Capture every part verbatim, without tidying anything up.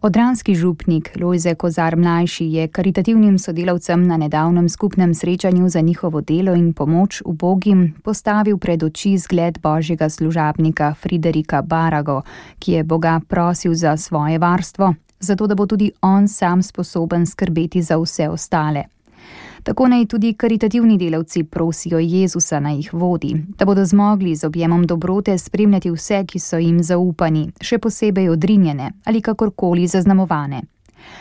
Odranski župnik Lojze Kozar mlajši je karitativnim sodelavcem na nedavnem skupnem srečanju za njihovo delo in pomoč ubogim postavil pred oči zgled božjega služabnika Friderika Barago, ki je Boga prosil za svoje varstvo, zato da bo tudi on sam sposoben skrbeti za vse ostale. Tako naj tudi karitativni delavci prosijo Jezusa, naj jih vodi, da bodo zmogli z objemom dobrote spremljati vse, ki so jim zaupani, še posebej odrinjene ali kakorkoli zaznamovane.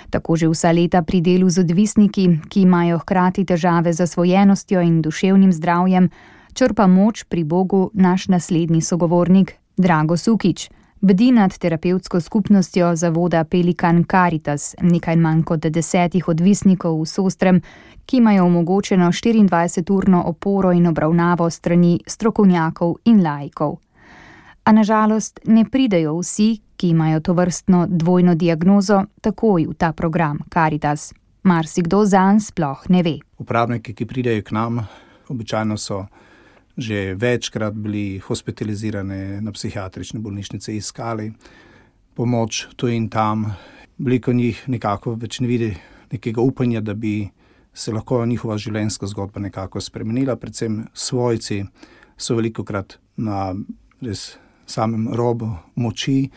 Tako že vsa leta pri delu z odvisniki, ki imajo hkrati težave z zasvojenostjo in duševnim zdravjem, črpa moč pri Bogu naš naslednji sogovornik Drago Sukič. Bdi nad terapevtsko skupnostjo zavoda Pelikan Caritas, nekaj manj kot desetih odvisnikov v Sostrem, ki imajo omogočeno štiriindvajseturno oporo in obravnavo strani strokovnjakov in laikov. A na žalost ne pridejo vsi, ki imajo tovrstno dvojno diagnozo, takoj v ta program Caritas. Marsikdo zanj sploh ne ve. Uporabniki, ki pridejo k nam, običajno so že večkrat bili hospitalizirani na psihiatrične bolnišnice, iskali pomoč tu in tam. Veliko njih nekako več ne vidi nekega upanja, da bi se lahko njihova življenjska zgodba nekako spremenila. Predvsem svojci so velikokrat na res samem robu moči.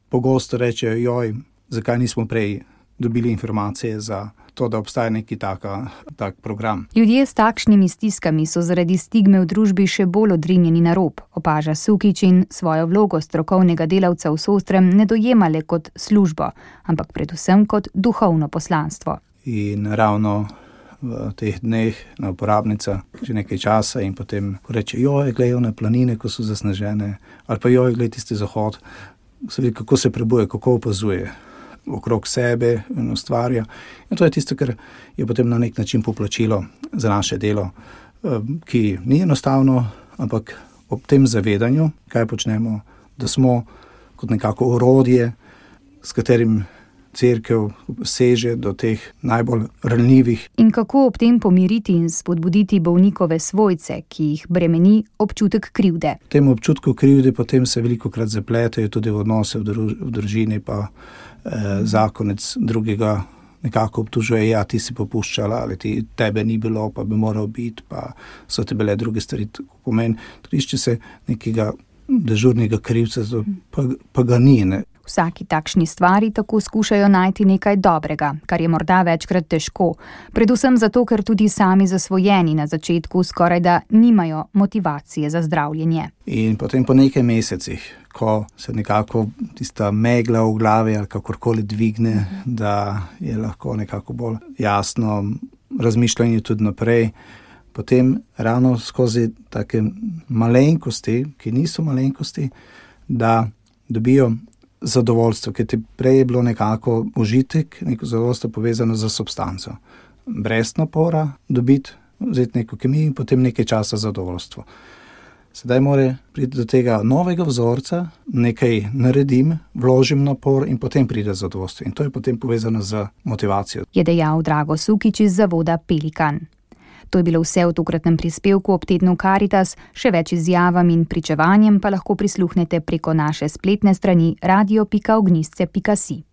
Pogosto rečejo, joj, zakaj nismo prej dobili informacije za to, da obstaja neki taka, tak program. Ljudje s takšnimi stiskami so zaradi stigme v družbi še bolj odrinjeni na rob, opaža Sukič in svojo vlogo strokovnega delavca v Sostrem ne dojemale kot službo, ampak predvsem kot duhovno poslanstvo. In ravno v teh dneh na uporabnica že nekaj časa in potem reče, joj, gledajo na planine, ko so zasnežene, ali pa joj, gled tisti zahod, se vidi, kako se prebuje, kako opazuje okrog sebe in ustvarja. In to je tisto, kar je potem na nek način poplačilo za naše delo, ki ni enostavno, ampak ob tem zavedanju, kaj počnemo, da smo kot nekako orodje, s katerim cerkev seže do teh najbolj ranljivih. In kako ob tem pomiriti in spodbuditi bolnikove svojce, ki jih bremeni občutek krivde. V tem občutku krivde potem se velikokrat zapletajo tudi v odnose v, druž, v družini, pa eh, zakonec drugega nekako obtužuje, ja, ti si popuščala, ali ti, tebe ni bilo, pa bi moral biti, pa so te bile druge stvari. Pomeni, trišče se nekega dežurnega krivca, pa, pa ga ni, ne. Vsaki takšni stvari tako skušajo najti nekaj dobrega, kar je morda večkrat težko, predvsem zato, ker tudi sami zasvojeni na začetku skorajda nimajo motivacije za zdravljenje. In potem po nekaj mesecih, ko se nekako tista megla v glavi ali kakorkoli dvigne, da je lahko nekako bolj jasno razmišljanje tudi naprej, potem ravno skozi take malenkosti, ki niso malenkosti, da dobijo zadovoljstvo, ker ti prej je bilo nekako užitek, neko zadovoljstvo povezano z substanco. Brez napora dobiti, vzeti neko kemijo in potem nekaj časa zadovoljstvo. Sedaj mora priti do tega novega vzorca, nekaj naredim, vložim napor in potem pride zadovoljstvo. In to je potem povezano z motivacijo. Je dejal Drago Sukič iz zavoda Pelikan. To je bilo vse v tokratnem prispevku ob tednu Caritas, še več izjavam in pričevanjem pa lahko prisluhnete preko naše spletne strani radio pika ognjišče pika si.